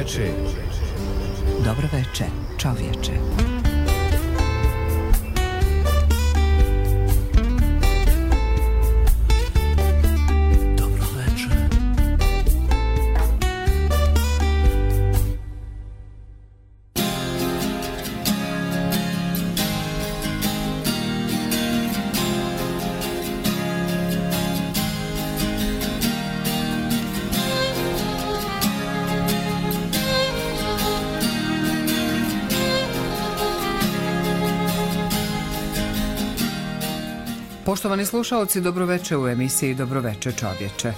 veče. Dobro veče, čovječe. Poštovani slušaoci, dobroveče u emisiji Dobroveče čovječe.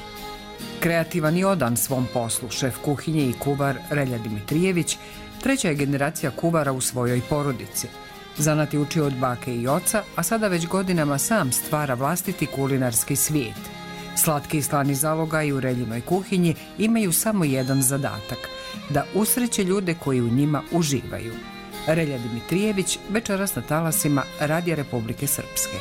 Kreativan i odan svom poslu, šef kuhinje i kuvar Relja Dimitrijević, treća je generacija kuvara u svojoj porodici. Zanat je učio od bake i oca, a sada već godinama sam stvara vlastiti kulinarski svijet. Slatki i slani zalogaj u Reljinoj kuhinji imaju samo jedan zadatak, da usreće ljude koji u njima uživaju. Relja Dimitrijević večeras na talasima Radija Republike Srpske.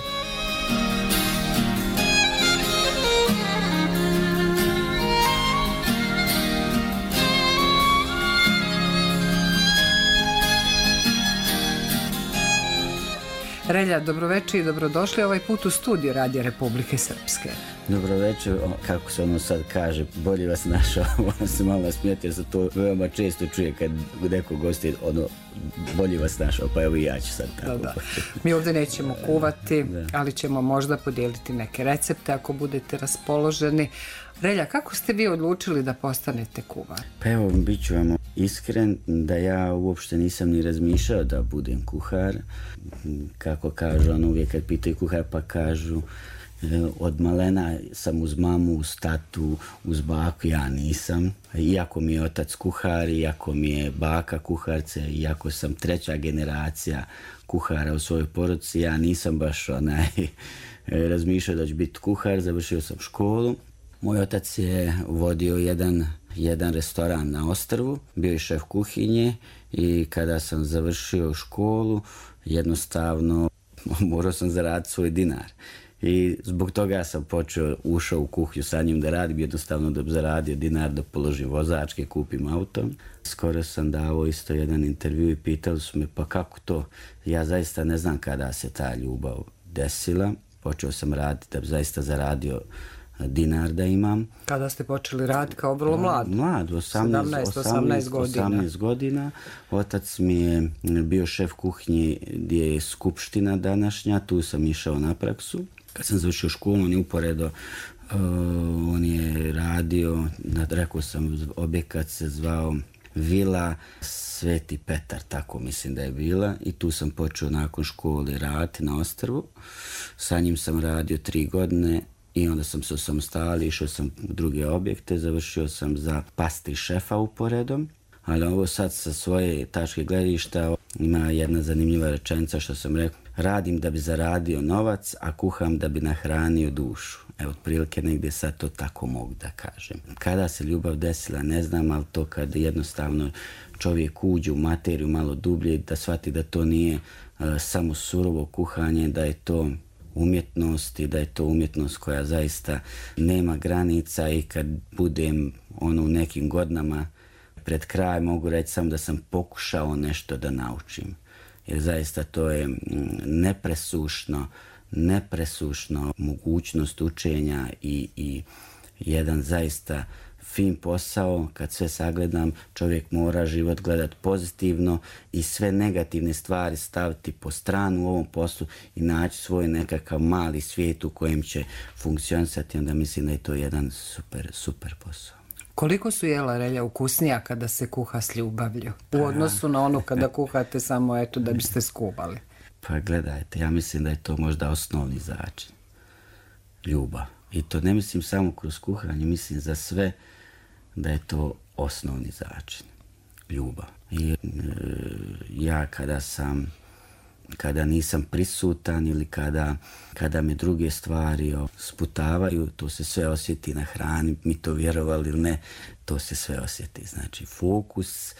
Relja, dobroveče i dobrodošli ovaj put u studiju Radija Republike Srpske. Dobroveče, kako se ono sad kaže, bolje vas našao, ono se malo nasmijeti jer se to veoma često čuje kad neko gosti, ono, bolje vas našao, pa evo i ja ću sad tako. Da. Mi ovdje nećemo kuvati, ali ćemo možda podijeliti neke recepte ako budete raspoloženi. Relja, kako ste vi odlučili da postanete kuvar? Pa evo, bit ću vam iskren da ja uopšte nisam ni razmišljao da budem kuhar. Kako kažu, ono uvijek kad pitaju kuhar pa kažu od malena sam uz mamu, uz tatu, uz baku, ja nisam. Iako mi je otac kuhar, iako mi je baka kuharce, iako sam treća generacija kuhara u svojoj porodici, ja nisam baš razmišljao da ću biti kuhar, završio sam školu. Moj otac je vodio jedan restoran na ostrvu, bio je šef kuhinje i kada sam završio školu, jednostavno morao sam zaraditi svoj dinar. I zbog toga sam ušao u kuhinju sa njim da radim, jednostavno da bi zaradio dinar, da položim vozačke, kupim auto. Skoro sam dao isto jedan intervju i pitali su me pa kako to, ja zaista ne znam kada se ta ljubav desila. Počeo sam raditi da bi zaista zaradio dinar da imam. Kada ste počeli raditi kao vrlo mlad? Mlad, 18 godina. Otac mi je bio šef kuhinje gdje je skupština današnja, tu sam išao na praksu. Kad sam završio školu, on je uporedo, on je radio, rekao sam, objekat se zvao Vila Sveti Petar, tako mislim da je bila, i tu sam počeo nakon škole raditi na ostrvu. Sa njim sam radio 3 godine i onda sam se osamostalio, išao sam u druge objekte, završio sam za pastri šefa uporedom, ali ovo sad sa svoje tačke gledišta ima jedna zanimljiva rečenica što sam rekao, radim da bi zaradio novac, a kuham da bi nahranio dušu. Evo, otprilike negdje sad to tako mogu da kažem. Kada se ljubav desila, ne znam, ali to kad jednostavno čovjek uđe u materiju malo dublje, da shvati da to nije samo surovo kuhanje, da je to umjetnost i da je to umjetnost koja zaista nema granica i kad budem u nekim godinama pred kraj mogu reći samo da sam pokušao nešto da naučim. Jer zaista to je nepresušno mogućnost učenja i jedan zaista fin posao. Kad sve sagledam, čovjek mora život gledati pozitivno i sve negativne stvari staviti po stranu u ovom poslu i naći svoj nekakav mali svijet u kojem će funkcionisati. Onda mislim da je to jedan super posao. Koliko su jela Relja ukusnija kada se kuha s ljubavlju u odnosu na ono kada kuhate samo eto da biste skubali? Pa gledajte, ja mislim da je to možda osnovni začin. Ljubav. I to ne mislim samo kroz kuhanje, mislim za sve da je to osnovni začin. Ljubav. I ja kada nisam prisutan ili kada me druge stvari sputavaju, to se sve osjeti na hrani, mi to vjerovali ili ne, to se sve osjeti. Znači, fokus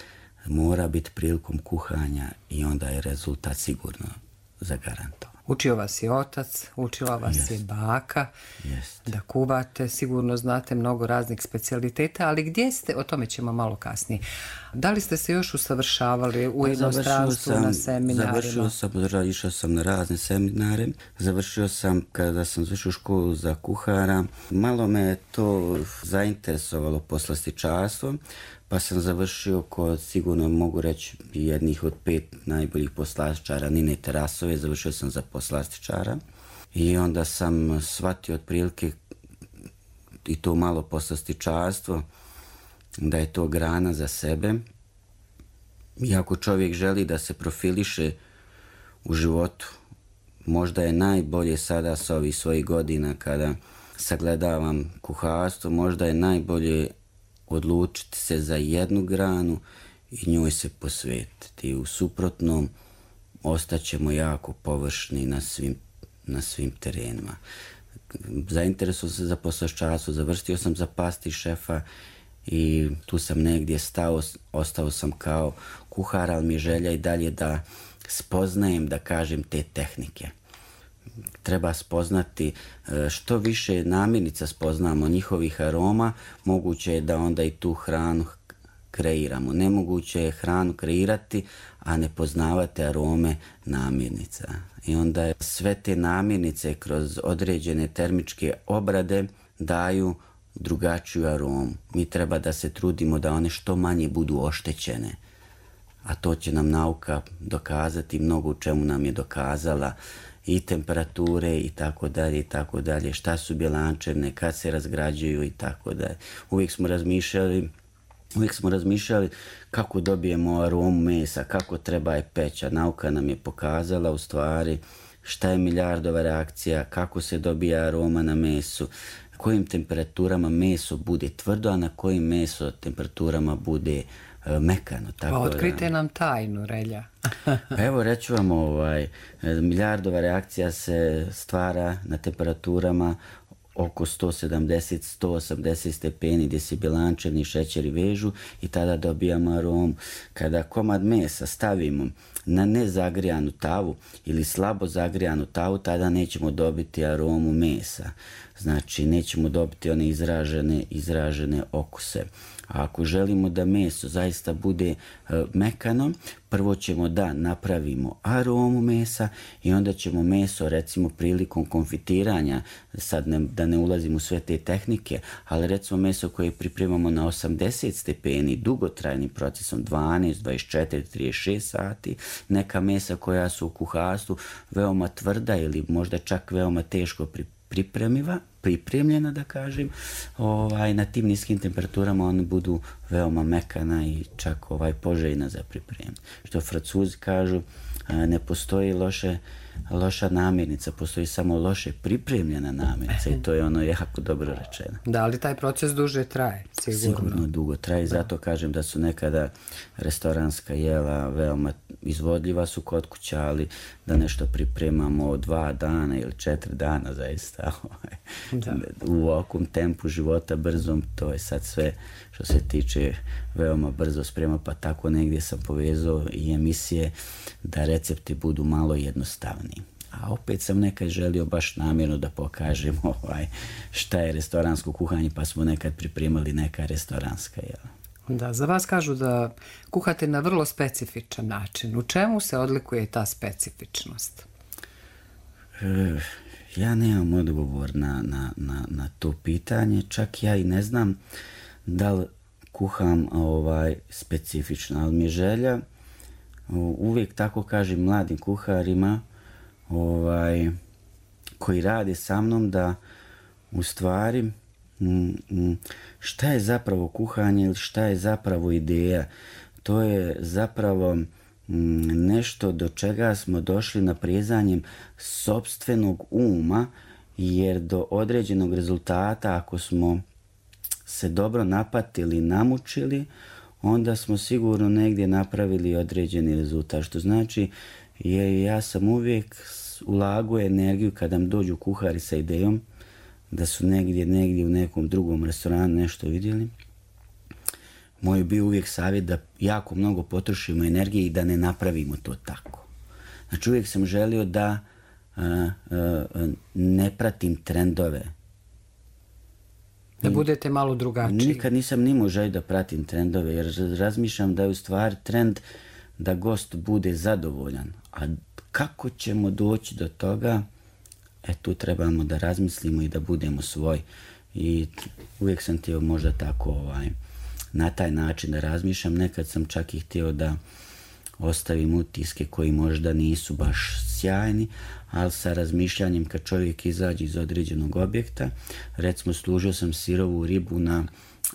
mora biti prilikom kuhanja i onda je rezultat sigurno zagarantovan. Učio vas je otac, učila vas je baka da kuvate, sigurno znate mnogo raznih specijaliteta, ali gdje ste, o tome ćemo malo kasnije. Da li ste se još usavršavali u inostranstvu na seminarima? Išao sam na razne seminare. Završio sam, kada sam završio školu za kuhara, malo me je to zainteresovalo poslastičarstvo, pa sam završio kod, sigurno mogu reći, jednih od 5 najboljih poslastičara Nine Tarasove, završio sam za poslastičara. I onda sam shvatio otprilike i to malo poslastičarstvo, da je to grana za sebe. I ako čovjek želi da se profiliše u životu, možda je najbolje sada sa ovih svojih godina kada sagledavam kuharstvo, možda je najbolje odlučiti se za jednu granu i njoj se posvetiti. U suprotnom ostaćemo jako površni na svim terenima. Zainteresovao sam se za poslastičarstvo, završio sam za pasti šefa i tu sam negdje stao, ostao sam kao kuhar, ali mi je želja i dalje da spoznajem, da kažem, te tehnike. Treba spoznati što više namirnica spoznamo njihovih aroma, moguće je da onda i tu hranu kreiramo. Nemoguće je hranu kreirati, a ne poznavate arome namirnica. I onda sve te namirnice kroz određene termičke obrade daju drugačiju aromu. Mi treba da se trudimo da one što manje budu oštećene. A to će nam nauka dokazati, mnogo u čemu nam je dokazala, i temperature i tako dalje, šta su bjelančevine, kad se razgrađuju i tako dalje. Uvijek smo razmišljali kako dobijemo aromu mesa, kako treba je peći. Nauka nam je pokazala u stvari šta je Maillardova reakcija, kako se dobija aroma na mesu, kojim temperaturama meso bude tvrdo, a na kojim meso temperaturama bude mekano. Pa otkrite nam tajnu, Relja. Evo, reću vam, Maillardova reakcija se stvara na temperaturama oko 170-180 stepeni gdje se bjelančevni šećeri vežu i tada dobijamo aromu. Kada komad mesa stavimo na nezagrijanu tavu ili slabo zagrijanu tavu, tada nećemo dobiti aromu mesa. Znači, nećemo dobiti one izražene okuse. A ako želimo da meso zaista bude mekano, prvo ćemo da napravimo aromu mesa i onda ćemo meso, recimo prilikom konfitiranja, sad da ne ulazim u sve te tehnike, ali recimo meso koje pripremamo na 80 stepeni dugotrajnim procesom, 12, 24, 36 sati, neka mesa koja su u kuharstvu veoma tvrda ili možda čak veoma teško pripremljena, da kažem, na tim niskim temperaturama one budu veoma mekana i čak poželjna za pripremu. Što Francuzi kažu, ne postoji loša namirnica, postoji samo loše pripremljena namirnica i to je ono jako dobro rečeno. Da li taj proces duže traje? Sigurno dugo traje, zato kažem da su nekada restoranska jela veoma izvodljiva su kod kuća, ali da nešto pripremamo 2 dana ili 4 dana zaista u ovakvom tempu života brzom, to je sad sve što se tiče veoma brzo sprema, pa tako negdje sam povezao i emisije da recepti budu malo jednostavniji. A opet sam nekad želio baš namjerno da pokažem šta je restoransko kuhanje, pa smo nekad pripremali neka restoranska jela. Da, za vas kažu da kuhate na vrlo specifičan način. U čemu se odlikuje ta specifičnost? Ja nemam odgovor na to pitanje, čak ja i ne znam da li kuham specifično, ali mi je želja, uvijek tako kažem mladim kuharima koji rade sa mnom, da u stvari šta je zapravo kuhanje ili šta je zapravo ideja. To je zapravo nešto do čega smo došli naprezanjem sopstvenog uma, jer do određenog rezultata, ako smo se dobro napatili, namučili, onda smo sigurno negdje napravili određeni rezultat. Što znači, ja sam uvijek ulagao energiju kada mi dođu kuhari sa idejom da su negdje u nekom drugom restoranu nešto vidjeli. Moj je bio uvijek savjet da jako mnogo potrošimo energije i da ne napravimo to tako. Znači, uvijek sam želio da ne pratim trendove. Da budete malo drugačiji. Nikad nisam nimao želju da pratim trendove, jer razmišljam da je u stvari trend da gost bude zadovoljan. A kako ćemo doći do toga, tu trebamo da razmislimo i da budemo svoji. I uvijek sam htio možda tako na taj način da razmišljam. Nekad sam čak i htio da ostavim utiske koji možda nisu baš sjajni, ali sa razmišljanjem kad čovjek izađe iz određenog objekta. Recimo, služio sam sirovu ribu na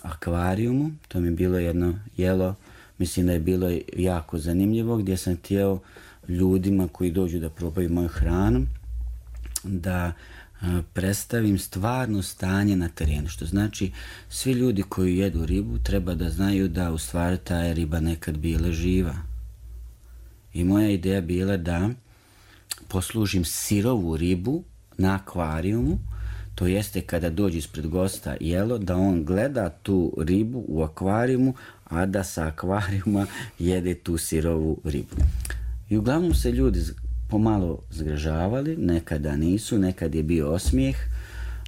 akvarijumu, to mi je bilo jedno jelo, mislim da je bilo jako zanimljivo, gdje sam htio ljudima koji dođu da probaju moju hranu da predstavim stvarno stanje na terenu. Što znači, svi ljudi koji jedu ribu treba da znaju da u stvari ta je riba nekad bila živa. I moja ideja bila da poslužim sirovu ribu na akvarijumu, to jeste kada dođe ispred gosta jelo, da on gleda tu ribu u akvarijumu, a da sa akvarijuma jede tu sirovu ribu. I uglavnom se ljudi pomalo zgražavali, nekada nisu, nekad je bio osmijeh,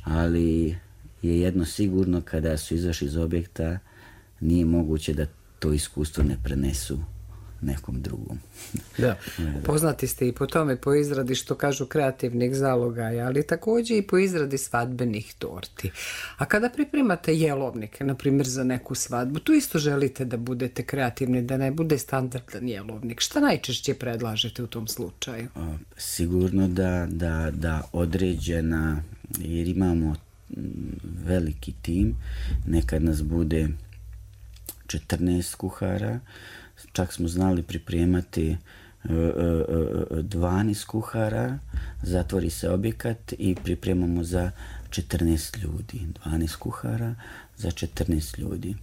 ali je jedno sigurno, kada su izašli iz objekta, nije moguće da to iskustvo ne prenesu nekom drugom. Da. Poznati ste i po tome, po izradi, što kažu, kreativnih zalogaja, ali također i po izradi svadbenih torti. A kada pripremate jelovnik, na primjer za neku svadbu, tu isto želite da budete kreativni, da ne bude standardan jelovnik. Šta najčešće predlažete u tom slučaju? Sigurno da određena, jer imamo veliki tim, nekad nas bude 14 kuhara, čak smo znali pripremati 12 kuhara, zatvori se objekat i pripremamo za 14 ljudi. 12 kuhara za 14 ljudi.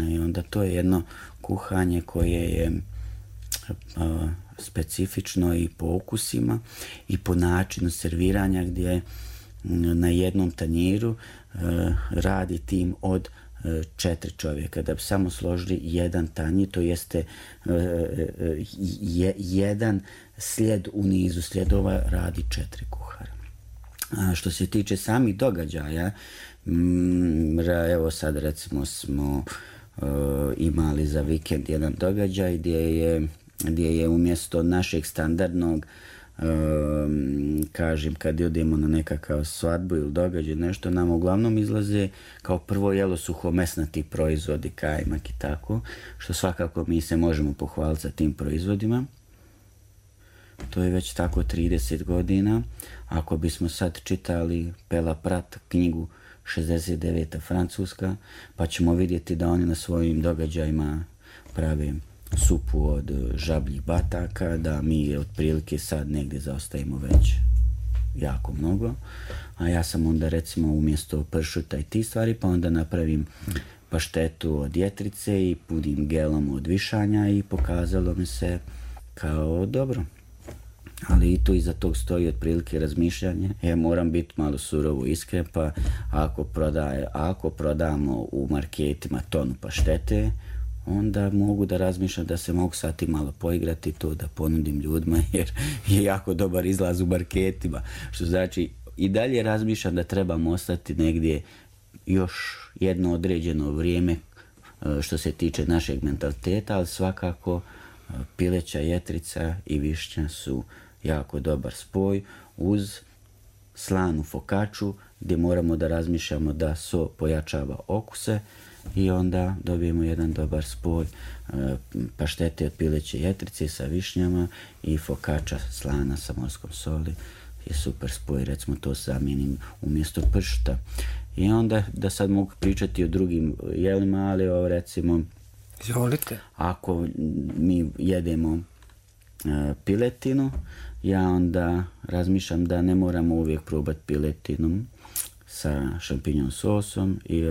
I onda to je jedno kuhanje koje je specifično i po okusima i po načinu serviranja, gdje na jednom tanjiru radi tim od 4 čovjeka. Da bi samo složili jedan tanjir, to jeste jedan slijed u nizu slijedova, radi 4 kuhara. A što se tiče samih događaja, evo sad recimo smo imali za vikend jedan događaj gdje je umjesto našeg standardnog, kažem, kad idemo na nekakav svadbu ili događaj nešto, nam uglavnom izlaze kao prvo jelo suhomesnati proizvodi, kajmak i tako, što svakako mi se možemo pohvaliti za tim proizvodima. To je već tako 30 godina. Ako bismo sad čitali Pela Prat knjigu 69. Francuska, pa ćemo vidjeti da oni na svojim događajima prave supu od žabljih bataka, da mi otprilike sad negdje zaostajemo već jako mnogo, a ja sam onda recimo umjesto pršuta i ti stvari, pa onda napravim paštetu od jetrice i punim gelom od višanja i pokazalo mi se kao dobro. Ali i tu iza tog stoji otprilike razmišljanje. Moram biti malo surovo iskren, pa ako prodamo u marketima tonu paštete, onda mogu da razmišljam da se mogu sad i malo poigrati to, da ponudim ljudima, jer je jako dobar izlaz u marketima. Što znači, i dalje razmišljam da trebamo ostati negdje još jedno određeno vrijeme što se tiče našeg mentaliteta, ali svakako pileća jetrica i višnja su jako dobar spoj uz slanu fokaču, gdje moramo da razmišljamo da so pojačava okuse i onda dobijemo jedan dobar spoj paštete od pileće jetrice sa višnjama i fokača slana sa morskom soli je super spoj, recimo to zamijenim umjesto pršuta. I onda da sad mogu pričati o drugim jelima, ali recimo izvolite. Ako mi jedemo piletinu, ja onda razmišljam da ne moramo uvijek probati piletinu sa šampinjon sosom i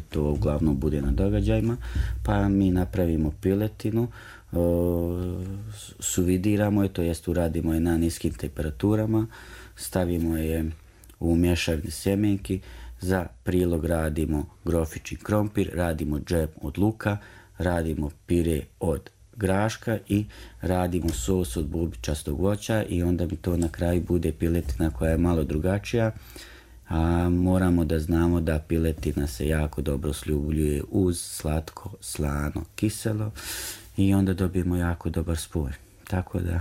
to uglavnom bude na događajima, pa mi napravimo piletinu, suvidiramo je, to jest uradimo je na niskim temperaturama, stavimo je u mješavine sjemenki, za prilog radimo grofić i krompir, radimo džem od luka, radimo pire od graška i radimo sos od bulbičastog voća i onda mi to na kraju bude piletina koja je malo drugačija. a moramo da znamo da piletina se jako dobro sljubljuje uz slatko, slano, kiselo i onda dobijemo jako dobar spoj. Tako da...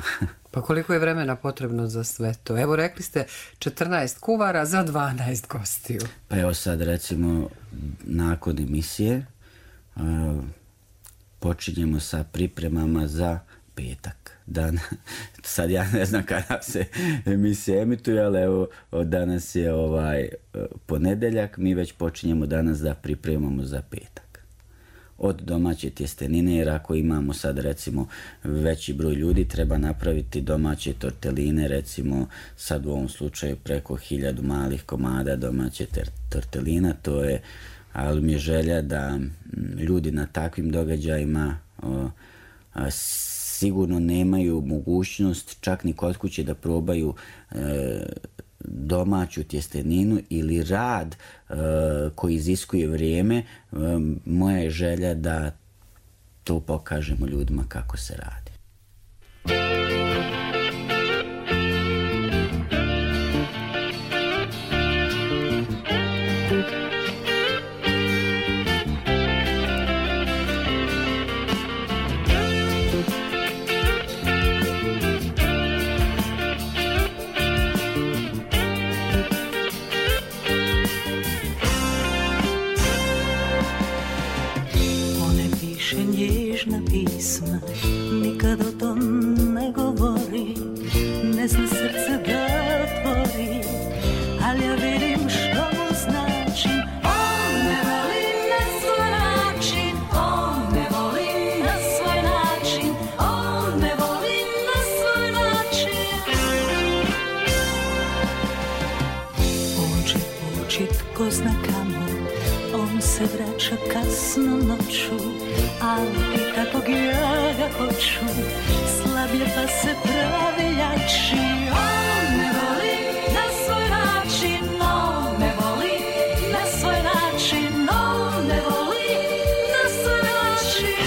Pa koliko je vremena potrebno za sve to? Evo, rekli ste 14 kuvara za 12 gostiju. Pa evo sad recimo nakon emisije počinjemo sa pripremama za petak. Sad ja ne znam kada se emisija emituje, ali evo danas je ponedeljak, mi već počinjemo danas da pripremamo za petak. Od domaće tjestenine, jer ako imamo sad recimo veći broj ljudi, treba napraviti domaće torteline, recimo sad u ovom slučaju preko 1000 malih komada domaće tortelina, to je, ali mi je želja da ljudi na takvim događajima sigurno nemaju mogućnost čak ni kod kuće da probaju domaću tjesteninu ili rad koji iziskuje vrijeme. Moja je želja da to pokažemo ljudima kako se radi. Pisma, nikad o tom ne govori, ne zna srce da otvori, ali ja vidim što mu znači. On me voli na svoj način, on me voli na svoj način, on me voli na svoj način. On će ući tko zna kamo, on se vraća kasno noću, ali kakvog ja ga hoću, slabije pa se pravi jači. On me voli na svoj način, on me voli na svoj način, on me voli na svoj način.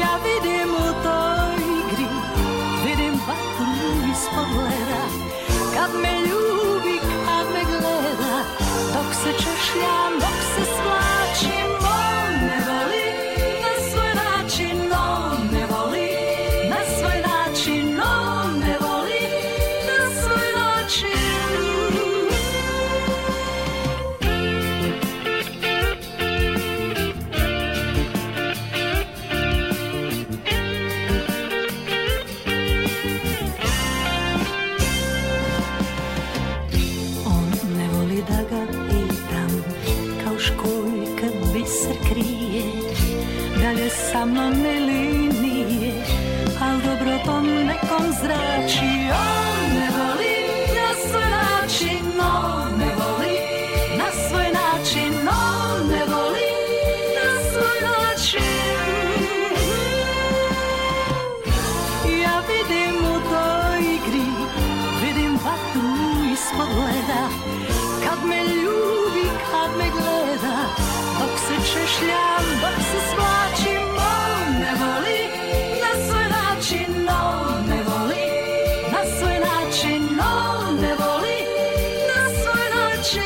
Ja vidim u toj igri, vidim vatru iz pogleda, kad me ljubi, kad me gleda, dok se češljam, dok se svlačim. On me voli na svoj način, on me voli na svoj način, on me voli na svoj način. On ne voli da ga pitam, kao školjka biser krije, da li je sa mnom ili nije, al dobro po nekom zrači. On me voli na svoj način, on me voli na svoj način, on me voli na svoj način. Ja vidim u toj igri, vidim vatru iz pogleda, kad me ljubi, kad me gleda, dok se češljam, dok se svlačim. On me voli na svoj način, on me voli na svoj način, on me voli na svoj način.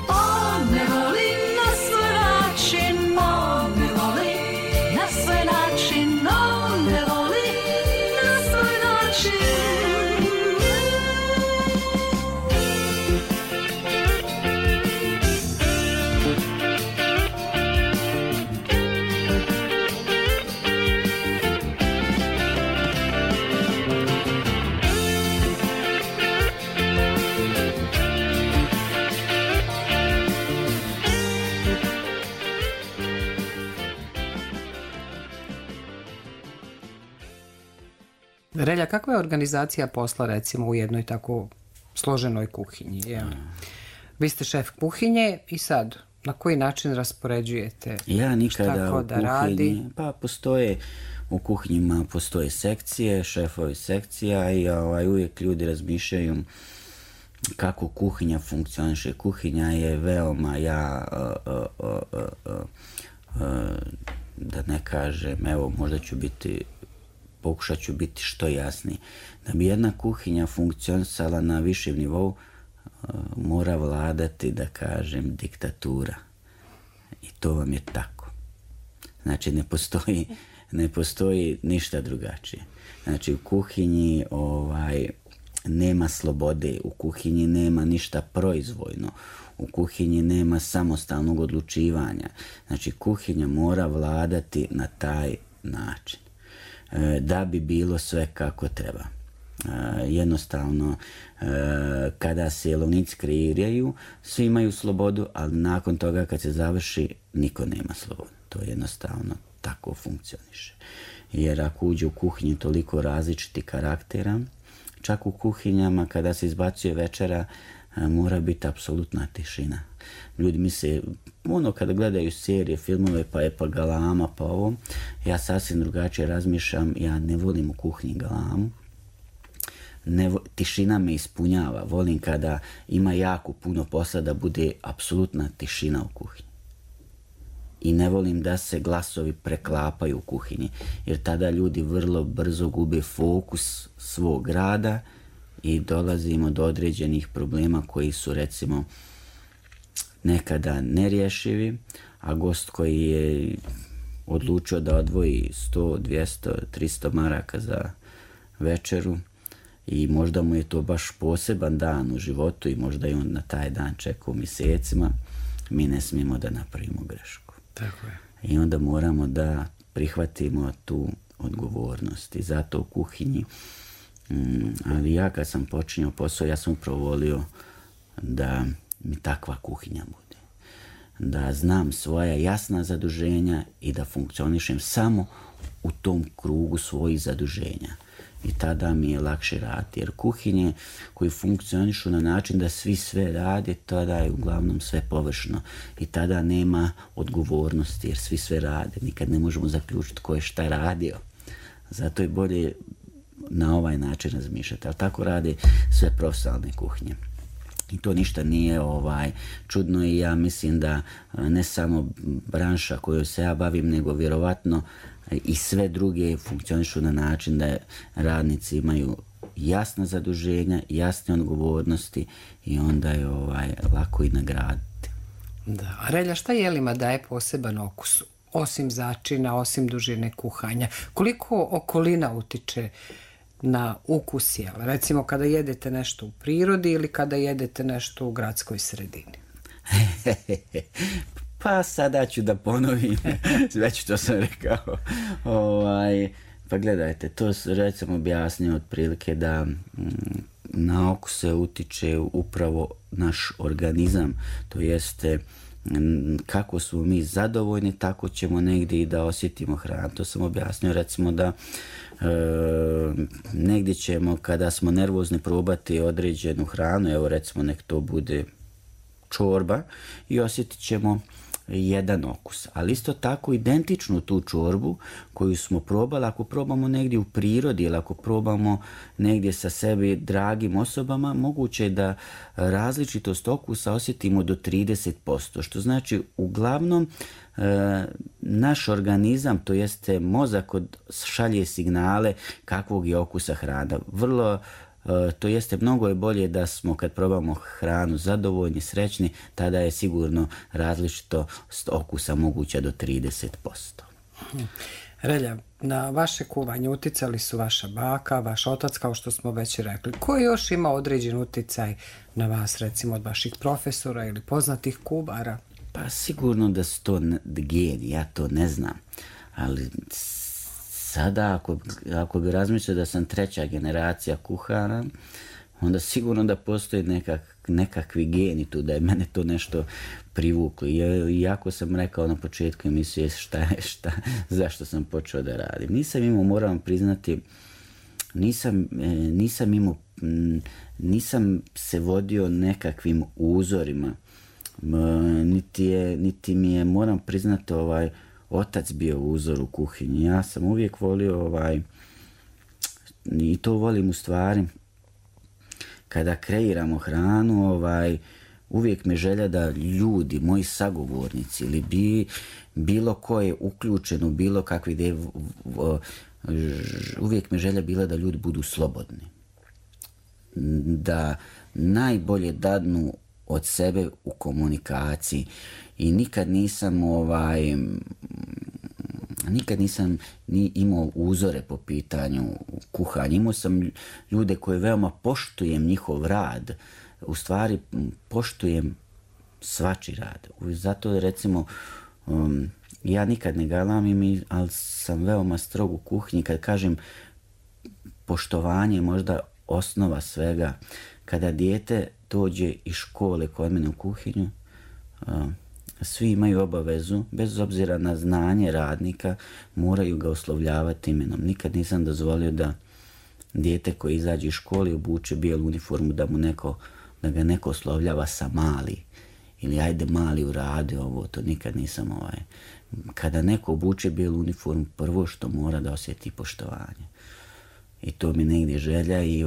On me voli na svoj način, on me voli na svoj način, on me voli na svoj način. Relja, kakva je organizacija posla recimo u jednoj tako složenoj kuhinji? Vi ste šef kuhinje i sad na koji način raspoređujete Ja nikada šta ko u da kuhinji, radi? pa postoje u kuhinjima postoje sekcije, šefovi sekcija i uvijek ljudi razmišljaju kako kuhinja funkcioniše. Kuhinja je veoma, da ne kažem, evo možda ću biti pokušat ću biti što jasniji. Da bi jedna kuhinja funkcionisala na višem nivou, mora vladati, da kažem, diktatura. I to vam je tako. Znači, ne postoji ništa drugačije. Znači, u kuhinji nema slobode, u kuhinji nema ništa proizvoljno, u kuhinji nema samostalnog odlučivanja. Znači, kuhinja mora vladati na taj način da bi bilo sve kako treba. Jednostavno, kada se jelovnici kreiraju, svi imaju slobodu, ali nakon toga kad se završi, niko nema slobodu. To jednostavno tako funkcioniše. Jer ako uđe u kuhinju toliko različitih karaktera, čak u kuhinjama kada se izbacuje večera, mora biti apsolutna tišina. Ljudi misle, kada gledaju serije, filmove, pa galama, pa ovo, ja sasvim drugačije razmišljam, ja ne volim u kuhinji galamu. Tišina me ispunjava, volim kada ima jako puno posla da bude apsolutna tišina u kuhinji. I ne volim da se glasovi preklapaju u kuhinji, jer tada ljudi vrlo brzo gube fokus svog rada i dolazimo do određenih problema koji su, recimo, nekada nerješivi, a gost koji je odlučio da odvoji 100, 200, 300 maraka za večeru i možda mu je to baš poseban dan u životu i možda i on na taj dan čekao mjesecima, mi ne smijemo da napravimo grešku. Tako je. I onda moramo da prihvatimo tu odgovornost. I zato u kuhinji, ali ja kad sam počinio posao, ja sam upravo volio da mi takva kuhinja bude. Da znam svoja jasna zaduženja i da funkcionišem samo u tom krugu svojih zaduženja. I tada mi je lakše raditi. Jer kuhinje koji funkcionišu na način da svi sve rade, tada je uglavnom sve površno. I tada nema odgovornosti jer svi sve rade. Nikad ne možemo zaključiti ko je šta radio. Zato je bolje na ovaj način razmišljati. Ali tako rade sve profesionalne kuhinje. I to ništa nije čudno i ja mislim da ne samo branša koju se ja bavim, nego vjerovatno i sve druge funkcionišu na način da radnici imaju jasna zaduženja, jasne odgovornosti i onda je lako i nagraditi. Da. A Relja, šta jelima daje poseban okus? Osim začina, osim dužine kuhanja. Koliko okolina utiče na ukus jela? Recimo kada jedete nešto u prirodi ili kada jedete nešto u gradskoj sredini? Pa sada ću da ponovim, već to sam rekao. Pa gledajte, to recimo objasnio otprilike da na okus se utiče upravo naš organizam, to jeste kako smo mi zadovoljni, tako ćemo negdje i da osjetimo hranu. To sam objasnio, recimo da negdje ćemo kada smo nervozni probati određenu hranu, evo recimo nek to bude čorba i osjetit ćemo jedan okus. Ali isto tako identičnu tu čorbu koju smo probali, ako probamo negdje u prirodi ili ako probamo negdje sa sebi dragim osobama, moguće je da različitost okusa osjetimo do 30%, što znači uglavnom naš organizam, to jeste mozak, šalje signale kakvog je okusa hrana. To jeste mnogo je bolje da smo kad probamo hranu zadovoljni, srećni, tada je sigurno različitost okusa moguća do 30%. Relja, na vaše kuvanje uticali su vaša baka, vaš otac, kao što smo već rekli. Ko još ima određen uticaj na vas, recimo od vaših profesora ili poznatih kubara? Pa sigurno da su to geni, ja to ne znam, ali sada ako bi razmišljao da sam 3. generacija kuhara, onda sigurno da postoji nekakvi geni tu, da je mene to nešto privuklo. Iako sam rekao na početku emisije zašto sam počeo da radim. Nisam imao, moram priznati, nisam se vodio nekakvim uzorima, niti mi je, moram priznati, otac bio uzor u kuhinji. Ja sam uvijek volio i to volim u stvari kada kreiramo hranu, uvijek mi želja da ljudi, moji sagovornici ili bilo ko je uključen u bilo kakve ideje, uvijek mi želja bila da ljudi budu slobodni. Da najbolje dadnu od sebe u komunikaciji i nikad nisam ni imao uzore po pitanju kuhanja. Imao sam ljude koje veoma poštujem njihov rad, u stvari poštujem svačiji rad. Zato recimo ja nikad ne galamim, ali sam veoma strog u kuhinji. Kad kažem poštovanje je možda osnova svega. Kada dijete dođe iz škole kod mene u kuhinju, svi imaju obavezu, bez obzira na znanje radnika, moraju ga oslovljavati imenom. Nikad nisam dozvolio da dijete koje izađe iz škole i obuče bijelu uniformu, da ga neko oslovljava sa mali. Ili ajde mali uradi ovo, to nikad nisam Kada neko obuče bijelu uniformu, prvo što mora da osjeti poštovanje. I to mi negdje želja i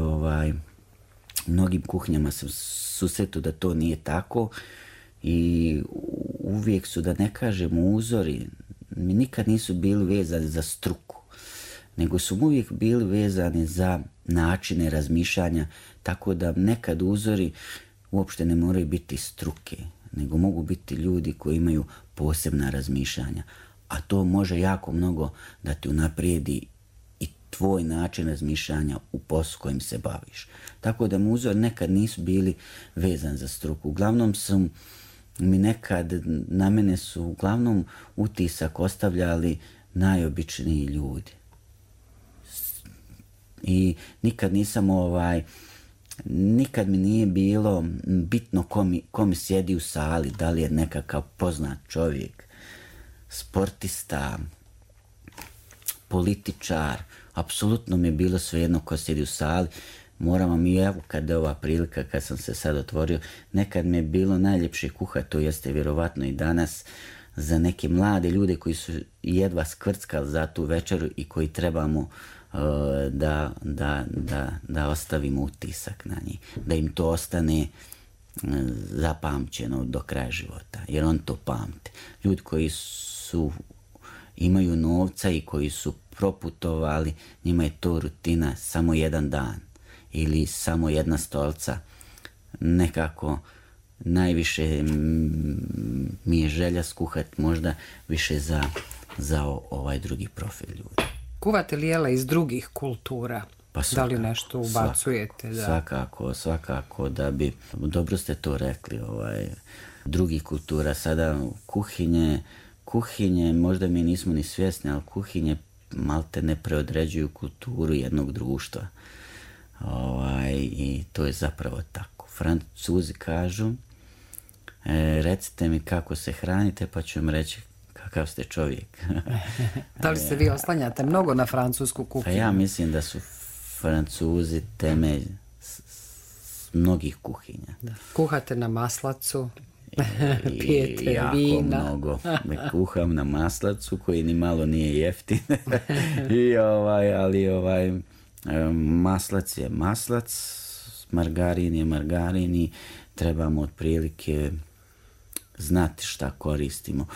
mnogim kuhinjama sam susretao da to nije tako i uvijek su, da ne kažem uzori, mi nikad nisu bili vezani za struku, nego su uvijek bili vezani za načine razmišljanja, tako da nekad uzori uopšte ne moraju biti struke, nego mogu biti ljudi koji imaju posebna razmišljanja, a to može jako mnogo da ti unaprijedi i tvoj način razmišljanja u poslu kojim se baviš. Tako da mu uzor nekad nisu bili vezani za struku. Uglavnom na mene su uglavnom utisak ostavljali najobičniji ljudi. I nikad nisam nikad mi nije bilo bitno ko mi sjedi u sali, da li je nekakav poznat čovjek, sportista, političar, apsolutno mi je bilo svejedno ko sjedi u sali. Moram vam i evo kad je ova prilika, kad sam se sad otvorio, nekad mi je bilo najljepše kuhati, to jeste vjerovatno i danas, za neke mlade ljude koji su jedva skvrckali za tu večeru i koji trebamo da ostavimo utisak na njih, da im to ostane zapamćeno do kraja života, jer on to pamte. Ljudi koji imaju novca i koji su proputovali, njima je to rutina samo jedan dan ili samo jedna stolca. Nekako najviše mi je želja skuhati možda više za ovaj drugi profil ljudi. Kuvate li jela iz drugih kultura? Pa svakako, da li nešto ubacujete? Svakako da bi, dobro ste to rekli, drugih kultura. Sada kuhinje, možda mi nismo ni svjesni, ali kuhinje malte ne preodređuju kulturu jednog društva. I to je zapravo tako. Francuzi kažu, recite mi kako se hranite, pa ću vam reći kakav ste čovjek. Da li se vi oslanjate mnogo na francusku kuhinju? Pa ja mislim da su Francuzi temelj mnogih kuhinja. Da. Kuhate na maslacu, pijete vina. Jako mnogo. Kuham na maslacu koji ni malo nije jeftin. Ali maslac je maslac, margarin je margarin i trebamo otprilike znati šta koristimo.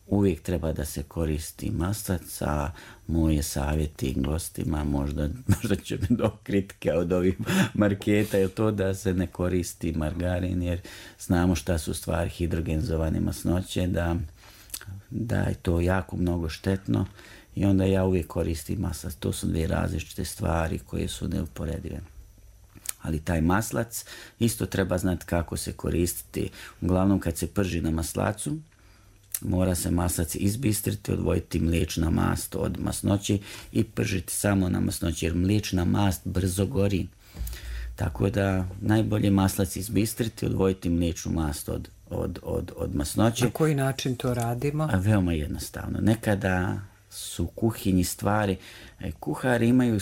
Uvijek treba da se koristi maslac, a moje savjeti gostima, možda će mi do kritike od ovih marketa, je to da se ne koristi margarin, jer znamo šta su stvari hidrogenzovane masnoće, da je to jako mnogo štetno i onda ja uvijek koristim maslac. To su dvije različite stvari koje su neuporedive. Ali taj maslac isto treba znati kako se koristiti. Uglavnom kad se prži na maslacu, mora se maslac izbistriti, odvojiti mliječna mast od masnoće i pržiti samo na masnoći, jer mliječna mast brzo gori. Tako da najbolje maslac izbistriti, odvojiti mliječnu mast od masnoće. Na koji način to radimo? Veoma jednostavno. Nekada su u kuhinji stvari, kuhari imaju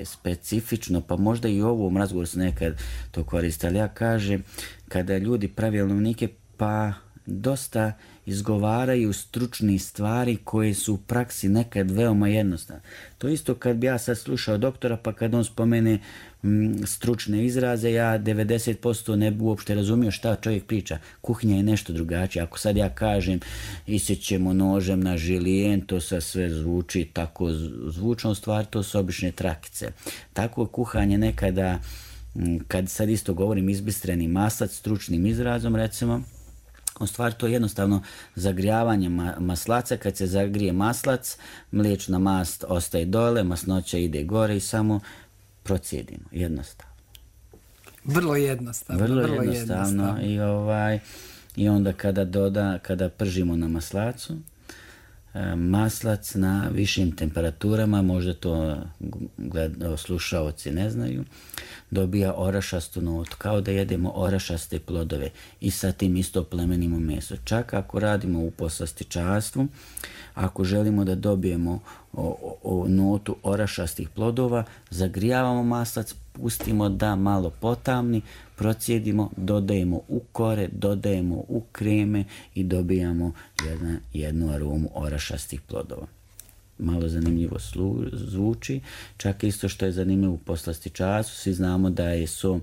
specifično, pa možda i u ovom razgovoru se nekad to koristi, ali ja kažem, kada ljudi pravi jelovnike, pa dosta izgovaraju stručni stvari koje su u praksi nekad veoma jednostavne. To isto kad bi ja sad slušao doktora, pa kad on spomene stručne izraze, ja 90% ne bi uopšte razumio šta čovjek priča. Kuhinja je nešto drugačije. Ako sad ja kažem isjećemo nožem na žilijen, to sve zvuči tako zvučno, stvar to su obične trakice. Tako kuhanje nekada, kad sad isto govorim izbistreni maslac stručnim izrazom recimo, u stvari to je jednostavno zagrijavanje maslaca. Kad se zagrije maslac, mliječna mast ostaje dole, masnoća ide gore i samo procijedimo. Jednostavno. Vrlo jednostavno. I onda kada pržimo na maslacu, maslac na višim temperaturama, možda to slušaoci ne znaju, dobija orašastu notu, kao da jedemo orašaste plodove i sa tim isto plemenimo meso. Čak ako radimo u poslastičarstvu, ako želimo da dobijemo notu orašastih plodova, zagrijavamo maslac, pustimo da malo potamni, procijedimo, dodajemo u kore, dodajemo u kreme i dobijamo jednu aromu orašastih plodova. Malo zanimljivo zvuči, čak isto što je zanimljivo u poslastičarstvu, svi znamo da je so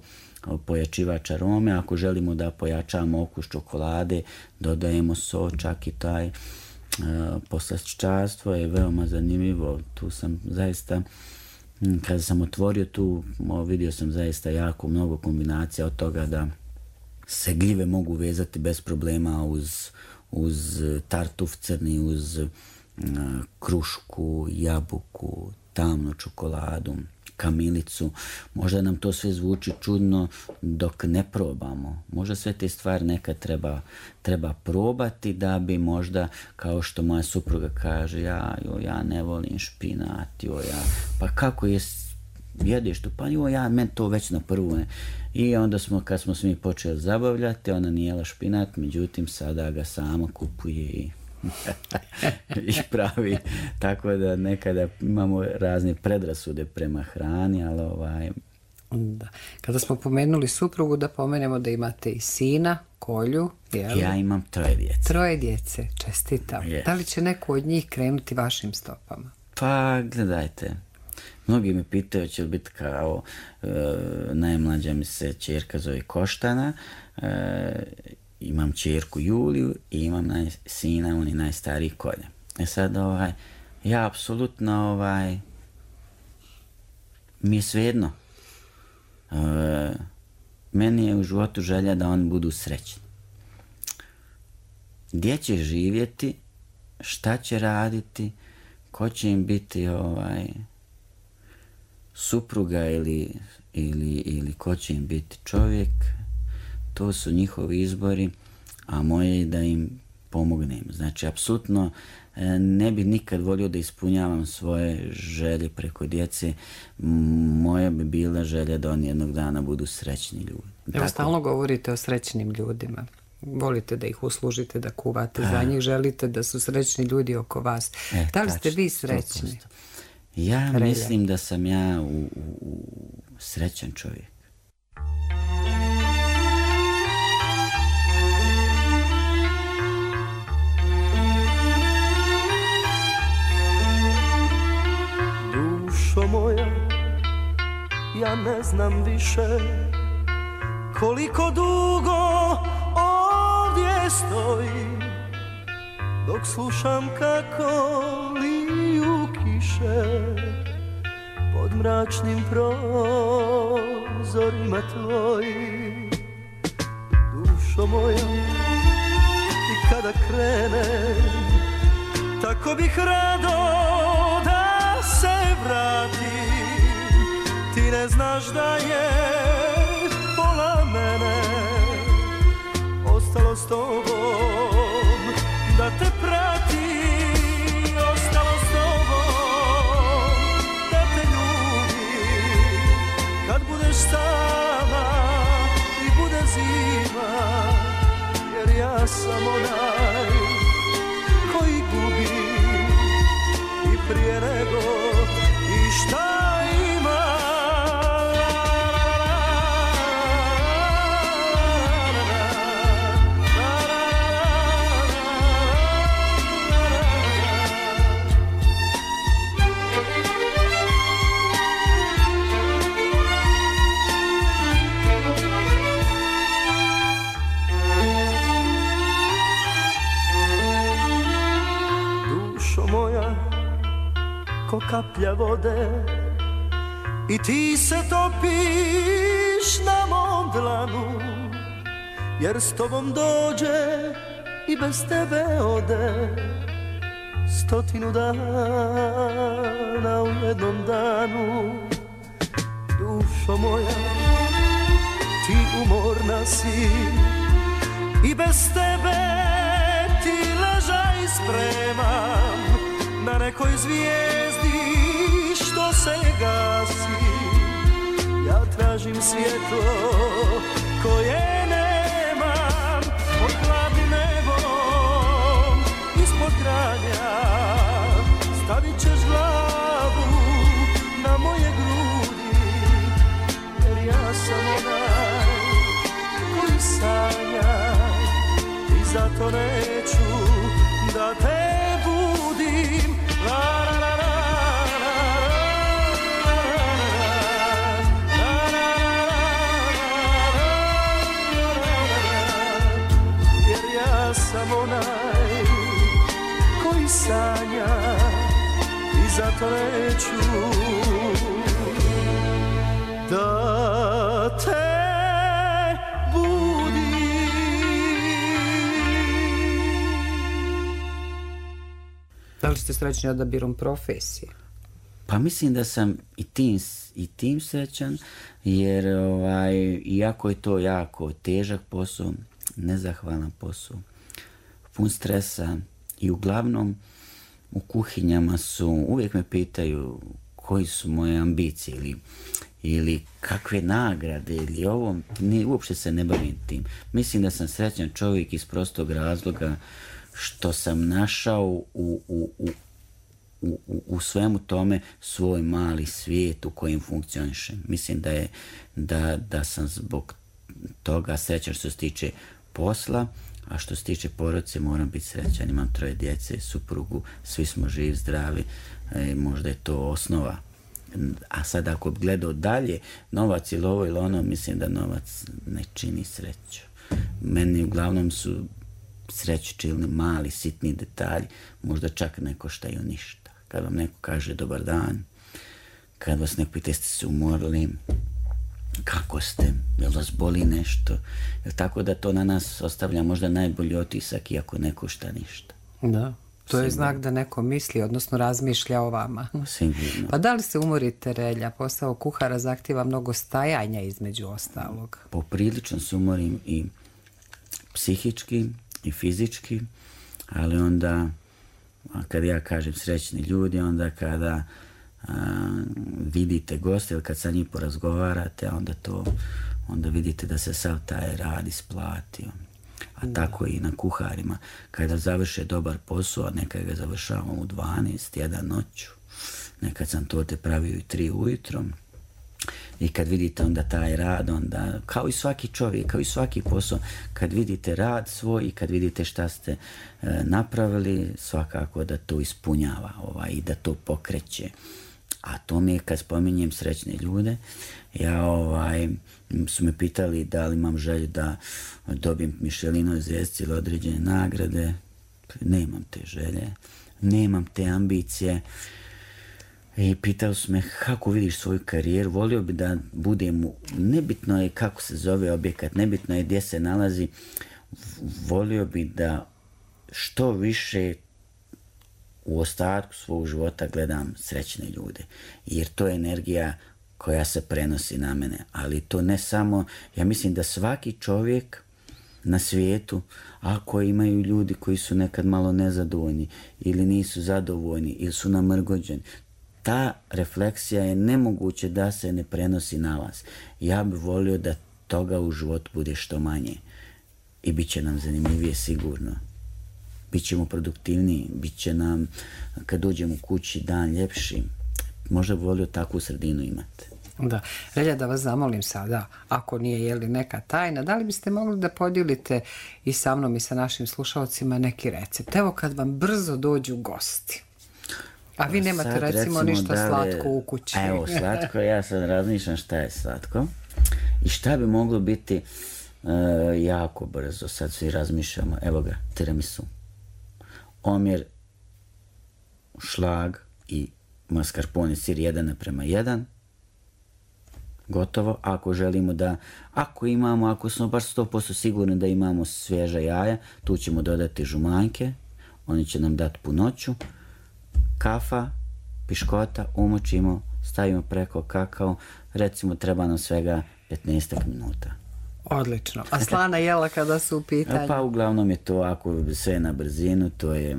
pojačivač arome, ako želimo da pojačamo okus čokolade, dodajemo so, čak i taj poslastičarstvo je veoma zanimljivo. Tu sam zaista, kada sam otvorio tu, vidio sam zaista jako mnogo kombinacija od toga da se gljive mogu vezati bez problema uz tartuf crni, uz krušku, jabuku, tamnu čokoladu, kamilicu. Možda nam to sve zvuči čudno dok ne probamo. Možda sve te stvari nekad treba probati da bi možda, kao što moja supruga kaže, ja ne volim špinat, pa kako jedeš tu, pa meni to već na prvu ne. I onda kad smo se mi počeli zabavljati, ona nije jela špinat, međutim sada ga sama kupuje i pravi, tako da nekada imamo razne predrasude prema hrani, ali Da. Kada smo pomenuli suprugu, da pomenemo da imate i sina, Kolju. Jel? Ja imam 3 djece. 3 djece, čestitam. Yes. Da li će neko od njih krenuti vašim stopama? Pa, gledajte, mnogi me pitaju će li biti kao najmlađa mi se ćerka zove Koštana, imam ćerku Juliju i imam sina, on je najstariji Kolja. Sad, ja apsolutno, mi je svejedno. Meni je u životu želja da oni budu srećni. Gdje će živjeti, šta će raditi, ko će im biti supruga ili ko će im biti čovjek, to su njihovi izbori, a moje je da im pomognem. Znači, apsolutno ne bi nikad volio da ispunjavam svoje želje preko djece. Moja bi bila želja da oni jednog dana budu srećni ljudi. Evo, stalno govorite o srećnim ljudima. Volite da ih uslužite, da kuvate za njih, želite da su srećni ljudi oko vas. Da li ste vi srećni? 100%. Ja mislim da sam ja srećan čovjek. Dušo moja, ja ne znam više koliko dugo ovdje stojim, dok slušam kako liju kiše pod mračnim prozorima tvojim. Dušo moja, i kada krenem, tako bih rado da se vratim. Ti ne znaš da je pola mene ostalo s tobom, da te prati, ostalo s tobom, da te ljubi. Kad budeš sama i bude zima, jer ja sam onaj koji gubi i prije nego i šta ima. kaplja vode i ti se topiš na mom dlanu, jer s tobom dođe i bez tebe ode 100 dana u jednom danu. Dušo moja, ti umorna si i bez tebe ti ležaj spremam na nekoj zvijezdi što se gasi. Ja tražim svjetlo koje nemam pod hladnim nebom ispod granja. Stavit ćeš glavu na moje grudi, jer ja sam onaj koji sanja i zato neću da te budim. La la la la. Sam onaj koji sanja i zato neću da te budim. Da li ste srećni odabirom profesije? Pa mislim da sam i tim srećan, jer iako je to jako težak posao, nezahvalan posao, pun stresa i uglavnom u kuhinjama uvijek me pitaju koji su moje ambicije ili kakve nagrade ili ovo, uopće se ne bavim tim. Mislim da sam srećan čovjek iz prostog razloga što sam našao u svemu tome svoj mali svijet u kojem funkcionišem. Mislim da sam zbog toga srećan što se tiče posla, a što se tiče porodice moram biti srećan. Imam 3 djece, suprugu, svi smo živi, zdravi, možda je to osnova. A sad ako bi gledao dalje, novac ili ovo ili ono, mislim da novac ne čini sreću. Meni uglavnom su sreću činili mali, sitni detalji, možda čak ne koštaju ništa. Kad vam neko kaže dobar dan, kad vas neko pita jeste se umorili, kako ste, jel vas boli nešto, tako da to na nas ostavlja možda najbolji otisak iako ne košta ništa. Da, to je znak da neko misli, odnosno razmišlja o vama. Sigurno. Pa da li se umorite, Relja? Posao kuhara zahtjeva mnogo stajanja između ostalog. Poprilično se umorim i psihički i fizički, ali onda kad ja kažem srećni ljudi, onda kada vidite goste ili kad sa njim porazgovarate, onda vidite da se sav taj rad isplatio. A tako i na kuharima. Kada završe dobar posao, nekad ga završavamo u 12, 1 noću. Nekad sam to te pravio i 3 ujutro. I kad vidite onda taj rad, onda, kao i svaki čovjek, kao i svaki posao, kad vidite rad svoj i kad vidite šta ste napravili, svakako da to ispunjava i da to pokreće. A to mi je, kad spominjem srećne ljude, su me pitali da li imam želju da dobijem Michelinove zvjezdice ili određene nagrade. Nemam te želje, nemam te ambicije. I pitali su me kako vidiš svoju karijeru, volio bi da budem, nebitno je kako se zove objekat, nebitno je gdje se nalazi, volio bi da što više u ostatku svog života gledam srećne ljude, jer to je energija koja se prenosi na mene, ali to ne samo, ja mislim da svaki čovjek na svijetu, ako imaju ljudi koji su nekad malo nezadovoljni ili nisu zadovoljni ili su namrgođeni, ta refleksija je nemoguće da se ne prenosi na vas. Ja bih volio da toga u životu bude što manje i bit će nam zanimljivije sigurno. Bićemo produktivniji, bit će nam, kad dođemo u kući, dan ljepši. Možda bih volio takvu sredinu imati. Da. Relja, da vas zamolim sada, ako nije neka tajna, da li biste mogli da podijelite i sa mnom i sa našim slušalcima neki recept? Evo kad vam brzo dođu gosti. A vi nemate sad, recimo ništa slatko u kući. Evo, slatko, ja sad razmišljam šta je slatko i šta bi moglo biti jako brzo. Sad svi razmišljamo, evo ga, tiramisu. Omjer šlag i mascarpone sir 1:1. Gotovo. Ako želimo da, ako smo baš 100% sigurni da imamo svježa jaja, tu ćemo dodati žumanjke, oni će nam dati punoću, kafa, piškota, umočimo, stavimo preko kakao, recimo treba nam svega 15 minuta. Odlično. A slana jela kada su u pitanju? Pa uglavnom je to, ako sve na brzinu, to je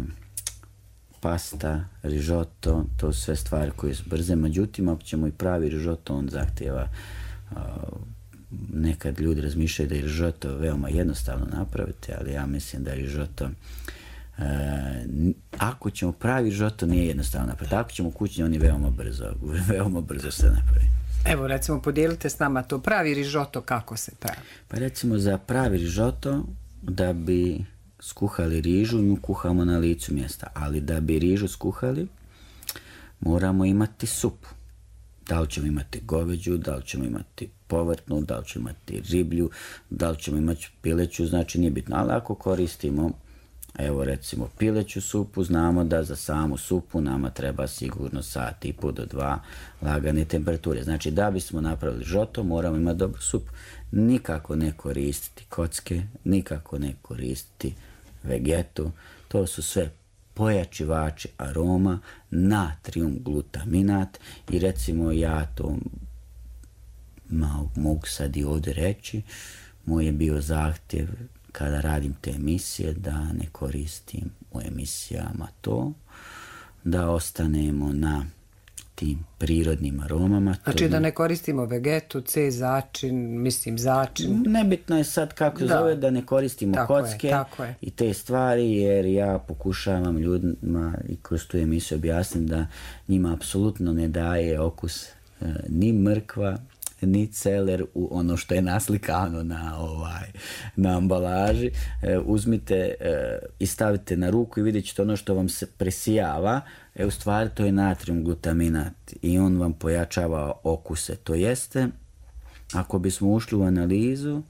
pasta, rižoto, to su sve stvari koje su brze. Međutim, ako ćemo i pravi rižoto, on zahtjeva, nekad ljudi razmišljaju da je rižoto veoma jednostavno napraviti, ali ja mislim da je rižoto, ako ćemo pravi rižoto, nije jednostavno napraviti. Ako ćemo kućni, on je veoma brzo se napravi. Evo, recimo, podijelite s nama to pravi rižoto, kako se pravi? Pa recimo, za pravi rižoto, da bi skuhali rižu, nju kuhamo na licu mjesta, ali da bi rižu skuhali, moramo imati supu. Da li ćemo imati goveđu, da li ćemo imati povrtnu, da li ćemo imati riblju, da li ćemo imati pileću, znači nije bitno. Ali ako koristimo, evo recimo pileću supu, znamo da za samu supu nama treba sigurno 1,5 do 2 lagane temperature. Znači da bismo napravili rižoto, moramo imati dobru supu. Nikako ne koristiti kocke, nikako ne koristiti vegetu, to su sve pojačivači aroma, natrijum glutaminat i recimo ja to mogu sad i ovdje reći, moj je bio zahtjev kada radim te emisije da ne koristim u emisijama to, da ostanemo na tim prirodnim aromama. Znači da ne koristimo vegetu, začin. Nebitno je sad kako se zove, da ne koristimo kocke i te stvari, jer ja pokušavam ljudima i kroz tu emisiju objasnim da njima apsolutno ne daje okus ni mrkva, ni celer u ono što je naslikano na ambalaži. Uzmite i stavite na ruku i vidjet ćete ono što vam se presijava. U stvari to je natrijum glutaminat i on vam pojačava okuse. To jeste, ako bismo ušli u analizu,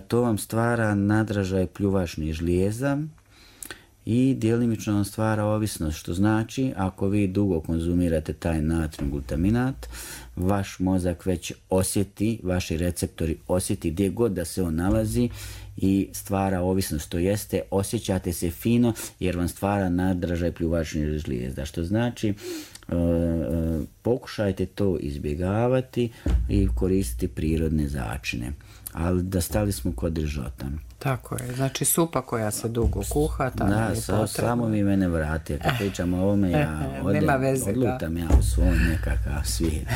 to vam stvara nadražaj pljuvačnih žlijeza i djelimično vam stvara ovisnost, što znači ako vi dugo konzumirate taj natrijum glutaminat, vaš mozak već osjeti, vaši receptori osjeti gdje god da se on nalazi i stvara ovisnost, to jeste osjećate se fino jer vam stvara nadražaj pljuvačnih žlijezda, što znači pokušajte to izbjegavati i koristiti prirodne začine. Ali da stali smo kod rižota. Tako je, znači supa koja se dugo kuha, samo mi mene vrati, kad pričam o ovome, ja odlutam ja u svoj nekakav svijet.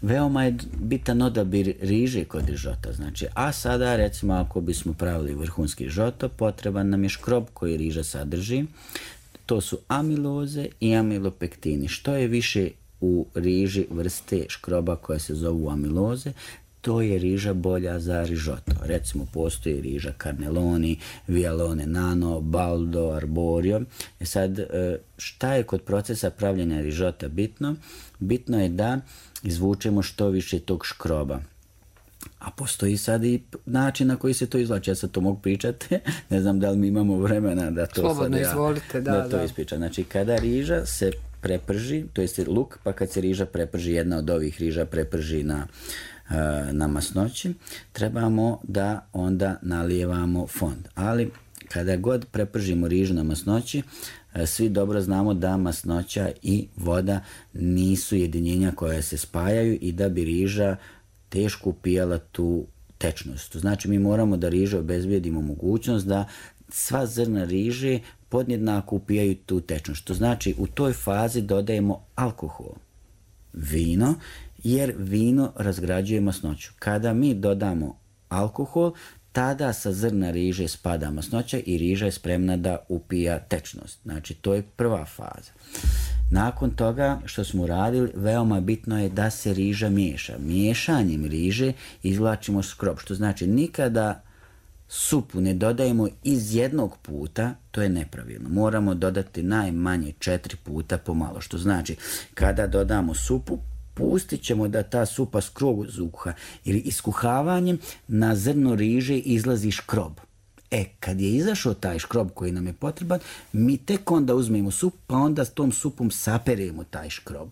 Veoma je bitan odabir riže kod rižota, znači, a sada recimo ako bismo pravili vrhunski rižoto, potreban nam je škrob koji riža sadrži, to su amiloze i amilopektini. Što je više u riži vrste škroba koja se zovu amiloze, to je riža bolja za rižoto. Recimo postoji riža Carnelloni, Vialone Nano, Baldo, Arborio. Sad, šta je kod procesa pravljenja rižota bitno? Bitno je da izvučemo što više tog škroba. A postoji sad i način na koji se to izvlači. Ja sad to mogu pričati. Ne znam da li mi imamo vremena da to slobodno izvolite, to ispričam. Znači, kada riža se preprži, to je luk, pa kad se riža preprži, jedna od ovih riža preprži na masnoći, trebamo da onda nalijevamo fond. Ali kada god prepržimo rižu na masnoći, svi dobro znamo da masnoća i voda nisu jedinjenja koja se spajaju i da bi riža teško upijala tu tečnost. Znači mi moramo da riže obezbijedimo mogućnost da sva zrna riže podjednako upijaju tu tečnost. To znači u toj fazi dodajemo alkohol, vino, jer vino razgrađuje masnoću. Kada mi dodamo alkohol, tada sa zrna riže spada masnoća i riža je spremna da upija tečnost. Znači, to je prva faza. Nakon toga što smo uradili, veoma bitno je da se riža miješa. Miješanjem riže izvlačimo škrob, što znači nikada supu ne dodajemo iz jednog puta, to je nepravilno. Moramo dodati najmanje 4 puta pomalo, što znači kada dodamo supu, pustit ćemo da ta supa skroz ukuha, jer iskuhavanjem na zrno riže izlazi škrob. Kad je izašao taj škrob koji nam je potreban, mi tek onda uzmemo sup, pa onda s tom supom saperemo taj škrob.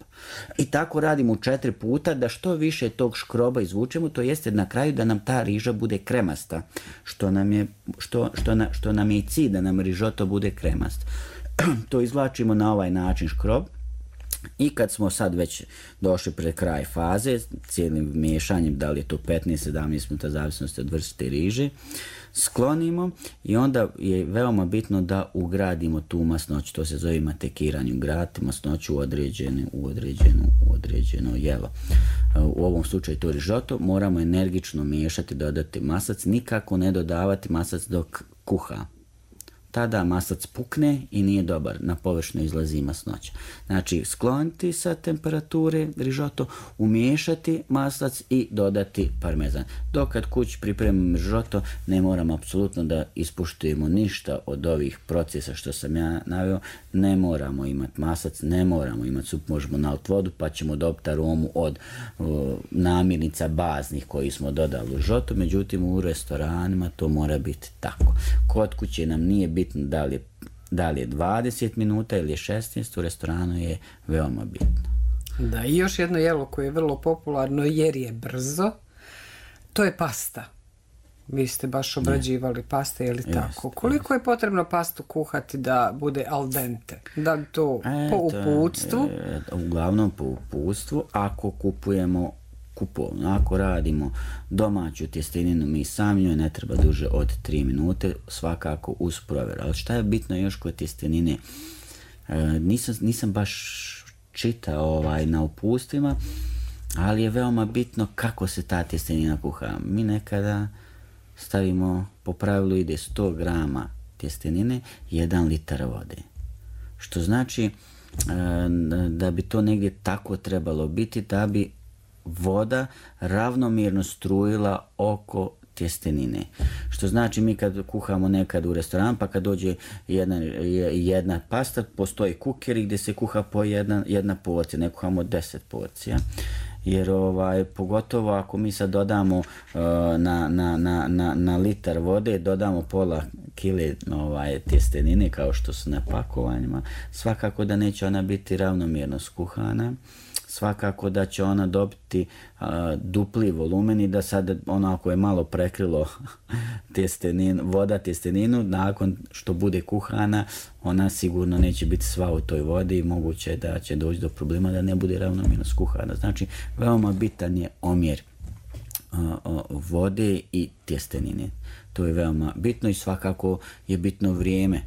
I tako radimo 4 puta da što više tog škroba izvučemo, to jeste na kraju da nam ta riža bude kremasta, što nam je i cilj, da nam rižoto bude kremast. To izvlačimo na ovaj način škrob. I kad smo sad već došli pred kraj faze, cijelim miješanjem, da li je to 15-17 minuta, zavisnosti od vrste riže, sklonimo i onda je veoma bitno da ugradimo tu masnoću, to se zove matekiranje, ugraditi masnoću u određeno jelo. U ovom slučaju to rižoto, moramo energično miješati, dodati maslac, nikako ne dodavati maslac dok kuha. Tada maslac pukne i nije dobar, na površinu izlazi masnoća. Znači, skloniti sa temperature rižoto, umiješati maslac i dodati parmezan. Dok kad kući pripremimo rižoto, ne moramo apsolutno da ispuštujemo ništa od ovih procesa što sam ja naveo. Ne moramo imati maslac, ne moramo imati sup, možemo naliti vodu pa ćemo dobiti aromu od namirnica baznih koji smo dodali u rižoto, međutim u restoranima to mora biti tako. Kod kuće nam nije bitno da li je 20 minuta ili je 16, u restoranu je veoma bitno. Da, i još jedno jelo koje je vrlo popularno jer je brzo, to je pasta. Vi ste baš obrađivali paste, je li tako? Koliko je potrebno pastu kuhati da bude al dente? Da li to po uputstvu? Uglavnom po uputstvu, ako kupujemo kupovno. Ako radimo domaću tjesteninu, mi sami njoj ne treba duže od 3 minute, svakako uz provjeru. Ali šta je bitno još kod tjestenine? Nisam baš čitao na uputstvima, ali je veoma bitno kako se ta tjestenina kuha. Mi nekada stavimo, po pravilu ide 100 grama tjestenine, 1 litar vode. Što znači da bi to negdje tako trebalo biti, da bi voda ravnomjerno strujila oko tjestenine. Što znači mi kad kuhamo nekad u restoran, pa kad dođe jedna pasta, postoji kukeri gdje se kuha po jedna porcija, ne kuhamo 10 porcija. Jer pogotovo ako mi sad dodamo na litar vode, dodamo pola kile tjestenine kao što su na pakovanjima, svakako da neće ona biti ravnomjerno skuhana. Svakako da će ona dobiti dupli volumen i da sad ako je malo prekrilo voda tjesteninu, nakon što bude kuhana, ona sigurno neće biti sva u toj vodi i moguće da će doći do problema da ne bude ravnomjerno skuhana. Znači, veoma bitan je omjer vode i tjestenine. To je veoma bitno i svakako je bitno vrijeme.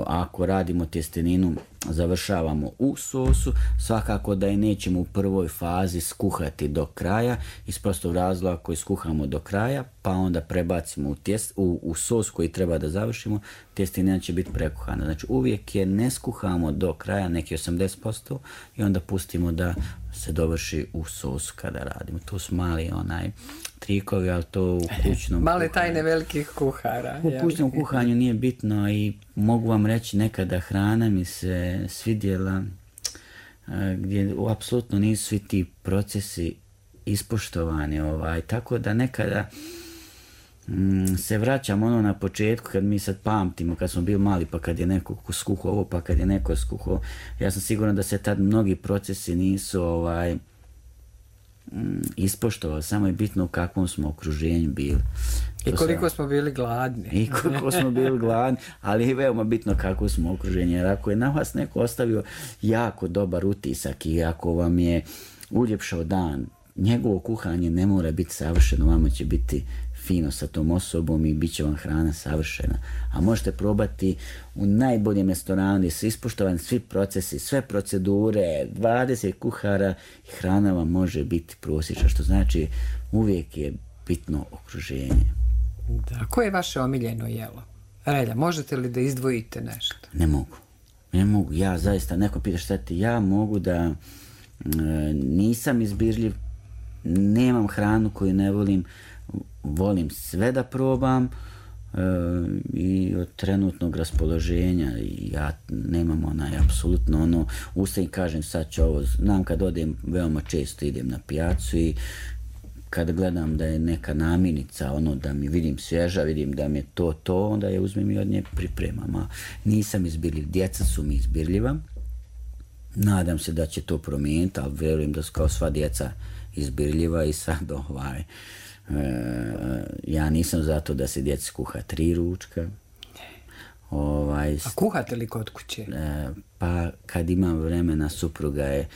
Ako radimo tjesteninu, završavamo u sosu, svakako da je nećemo u prvoj fazi skuhati do kraja, iz prostog razloga koji skuhamo do kraja, pa onda prebacimo u sos koji treba da završimo, tjestenina će biti prekuhana. Znači uvijek je ne skuhamo do kraja, neki 80%, i onda pustimo da se dovrši u sosu kada radimo. Tu su mali trikovi, ali to u kućnom male tajne velikih kuhara. U kućnom kuhanju nije bitno i mogu vam reći nekada hrana mi se svidjela gdje apsolutno nisu svi ti procesi ispoštovani. Tako da nekada se vraćam na početku kad mi sad pamtimo kad smo bili mali, pa kad je neko skuhao ovo, pa kad je neko skuhao. Ja sam siguran da se tad mnogi procesi nisu ispoštovali, samo je bitno u kakvom smo okruženju bili. I koliko smo bili gladni. Ali je veoma bitno kako smo okruženi, jer ako je na vas neko ostavio jako dobar utisak i ako vam je uljepšao dan, njegovo kuhanje ne mora biti savršeno, vama će biti fino sa tom osobom i bit će vam hrana savršena. A možete probati u najboljem restoranu gdje su ispoštovani svi procesi, sve procedure, 20 kuhara i hrana vam može biti prosječna, što znači uvijek je bitno okruženje. Da, koje je vaše omiljeno jelo? Relja, možete li da izdvojite nešto? Ne mogu. Ja zaista, neko pita šta ti, ja mogu da nisam izbirljiv, nemam hranu koju ne volim sve da probam i od trenutnog raspoloženja ja nemam apsolutno ustajem i kažem sad ću ovo, znam kad odem veoma često idem na pijacu i kad gledam da je neka namirnica, ono da mi vidim svježa, vidim da mi je to, onda je uzmem i od nje pripremam. A nisam izbirljiv, djeca su mi izbirljiva. Nadam se da će to promijeniti, ali vjerujem da su kao sva djeca izbirljiva i sad ja nisam zato da se djeci kuha 3 ručka. A kuhate li kod kuće? Pa kad imam vremena, supruga je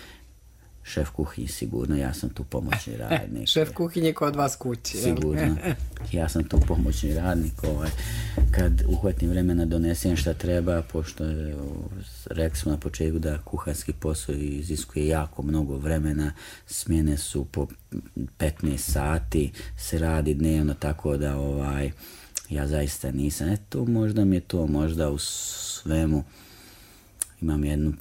šef kuhinje sigurno, ja sam tu pomoćni radnik. Šef kuhinje kod vas kući. Sigurno, ja sam tu pomoćni radnik. Kad uhvatim vremena donesem šta treba, pošto rekli smo na početku da kuharski posao iziskuje jako mnogo vremena, smjene su po 15 sati, se radi dnevno, tako da ja zaista nisam. Možda mi je to, možda u svemu imam jednu,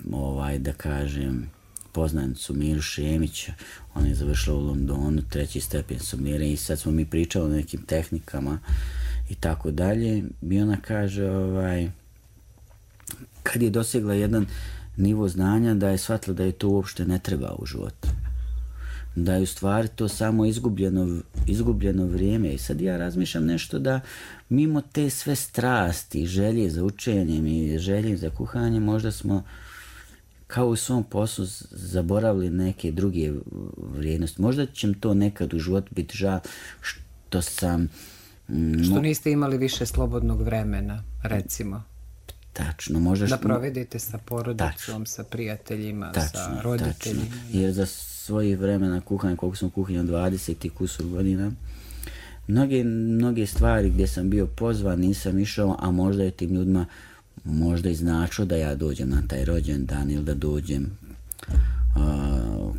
da kažem, poznanicu Miru Šemić, ona je završila u Londonu 3. stepen somliranja i sad smo mi pričali o nekim tehnikama i tako dalje. I ona kaže, kad je dosegla jedan nivo znanja, da je shvatila da je to uopšte ne treba u životu. Da je u stvari to samo izgubljeno vrijeme. I sad ja razmišljam nešto da mimo te sve strasti, želje za učenjem i želje za kuhanjem, možda smo kao u svom poslu zaboravili neke druge vrijednosti. Možda će mi to nekad u životu biti žal što sam... Što niste imali više slobodnog vremena, recimo. Tačno, možda da provedete sa porodicom, sa prijateljima, sa roditeljima. Tačno. Jer za svojih vremena kuhanja, koliko sam kuhinjao 20 i kusur godina, mnoge stvari gdje sam bio pozvan nisam išao, a možda je tim ljudima možda i značilo da ja dođem na taj rođendan ili da dođem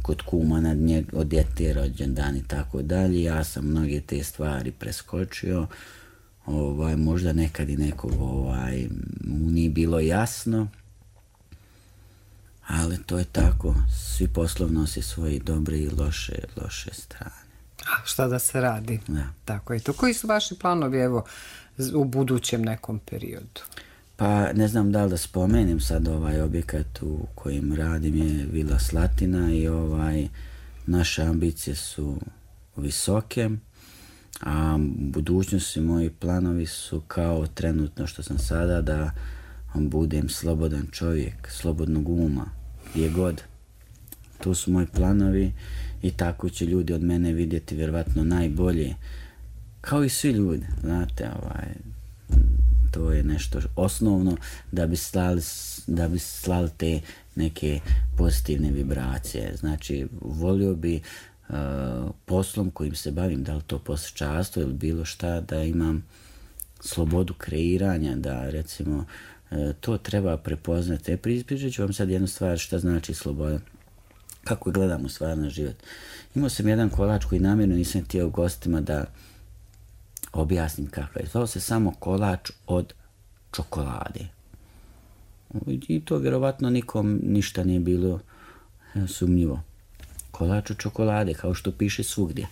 kod kuma od djete rođendan i tako dalje. Ja sam mnoge te stvari preskočio. Možda nekad i nekog mu nije bilo jasno, ali to je tako. Svi poslovno nose svoje dobre i loše strane. A šta da se radi? Da. Tako je to. Koji su vaši planovi u budućem nekom periodu? Pa ne znam da li da spomenem sad objekat u kojem radim je Vila Slatina i naše ambicije su visoke, a budućnosti moji planovi su kao trenutno što sam sada, da budem slobodan čovjek, slobodnog uma, gdje god. To su moji planovi i tako će ljudi od mene vidjeti vjerovatno najbolje, kao i svi ljudi, znate, to je nešto osnovno da bi slali te neke pozitivne vibracije. Znači, volio bi poslom kojim se bavim, da li to poslušarstvo ili bilo šta, da imam slobodu kreiranja, da recimo to treba prepoznati. Pričat ću vam sad jednu stvar šta znači sloboda, kako gledam u stvar na život. Imao sam jedan kolač koji namjerno nisam htio gostima da objasnim kakav je. Zvao se samo kolač od čokolade. I to vjerovatno nikom ništa nije bilo sumnjivo. Kolač od čokolade, kao što piše svugdje.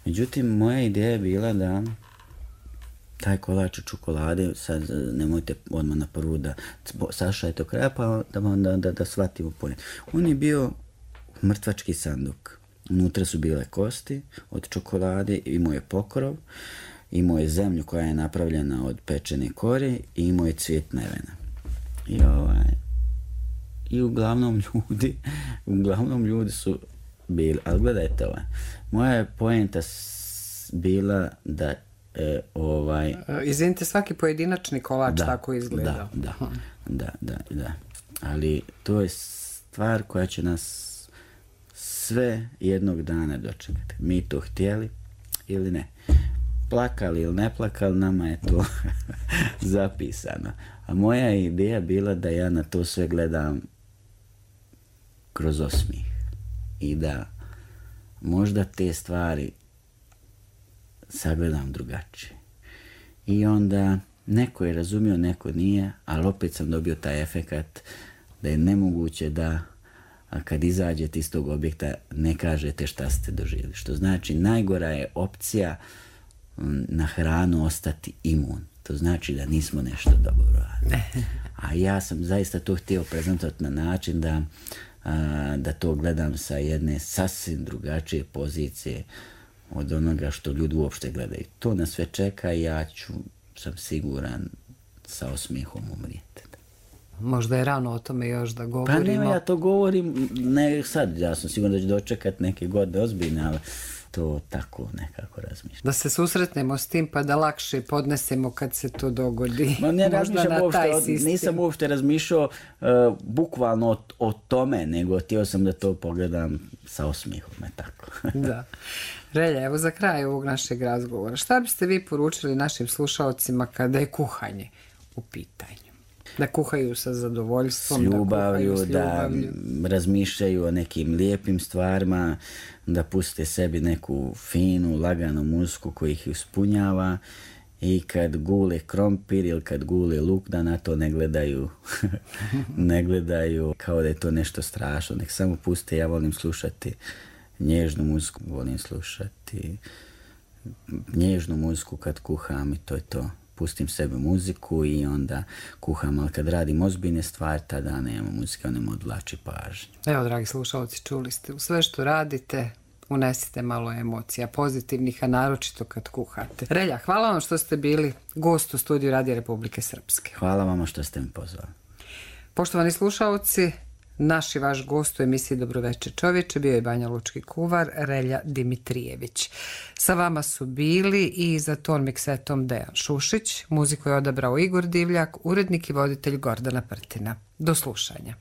Međutim, moja ideja je bila da taj kolač od čokolade, sad nemojte odmah na prvu da sašajte do kraja, pa da shvatimo pojem. On je bio mrtvački sanduk. Unutra su bile kosti od čokolade, imao je pokrov, imao je zemlju koja je napravljena od pečene kore i imao je cvijet nevena. I uglavnom ljudi su bili, ali gledajte moja je poenta bila da Izvinite, svaki pojedinačni kolač tako izgleda. Da. Ali to je stvar koja će nas sve jednog dana dočekati. Mi to htjeli ili ne. Plakali ili ne plakali, nama je to zapisano. A moja ideja bila da ja na to sve gledam kroz osmijeh. I da možda te stvari sagledam drugačije. I onda neko je razumio, neko nije, ali opet sam dobio taj efekat da je nemoguće da kad izađete iz tog objekta ne kažete šta ste doživjeli. Što znači najgora je opcija na hranu ostati imun. To znači da nismo nešto dobro radili. A ja sam zaista to htio prezentovati na način da to gledam sa jedne sasvim drugačije pozicije od onoga što ljudi uopšte gledaju. To nas sve čeka i ja sam siguran, sa osmijehom umrijeti. Možda je rano o tome još da govorimo. Pa nema, ja to govorim, ne sad, ja sam siguran da ću dočekati neke godine ozbiljne, ali to tako nekako razmišljam. Da se susretnemo s tim pa da lakše podnesemo kad se to dogodi. Ma ne razmišljam uopšte, nisam uopšte razmišljao bukvalno o tome, nego htio sam da to pogledam sa osmijehom, tako. Da. Relja, evo za kraj ovog našeg razgovora. Šta biste vi poručili našim slušalcima kada je kuhanje u pitanju? Da kuhaju sa zadovoljstvom, s ljubavlju, da razmišljaju o nekim lijepim stvarima, da puste sebi neku finu, laganu muziku koja ih ispunjava i kad gule krompir ili kad gule luk, da na to ne gledaju ne gledaju kao da je to nešto strašno, nek samo puste. Ja volim slušati nježnu muziku, volim slušati nježnu muziku kad kuham i to je to. Pustim sebi muziku i onda kuham, ali kad radim ozbiljne stvari, tada nema muzike, ona me odvlači pažnju. Evo, dragi slušalci, čuli ste, u sve što radite unesite malo emocija, pozitivnih, a naročito kad kuhate. Relja, hvala vam što ste bili gost u studiju Radija Republike Srpske. Hvala vama što ste mi pozvali. Poštovani slušalci, naš i vaš gost u emisiji Dobroveče čovječe bio je banjalučki kuvar Relja Dimitrijević. Sa vama su bili i za ton miksetom Dejan Šušić, muziku je odabrao Igor Divljak, urednik i voditelj Gordana Prtina. Do slušanja.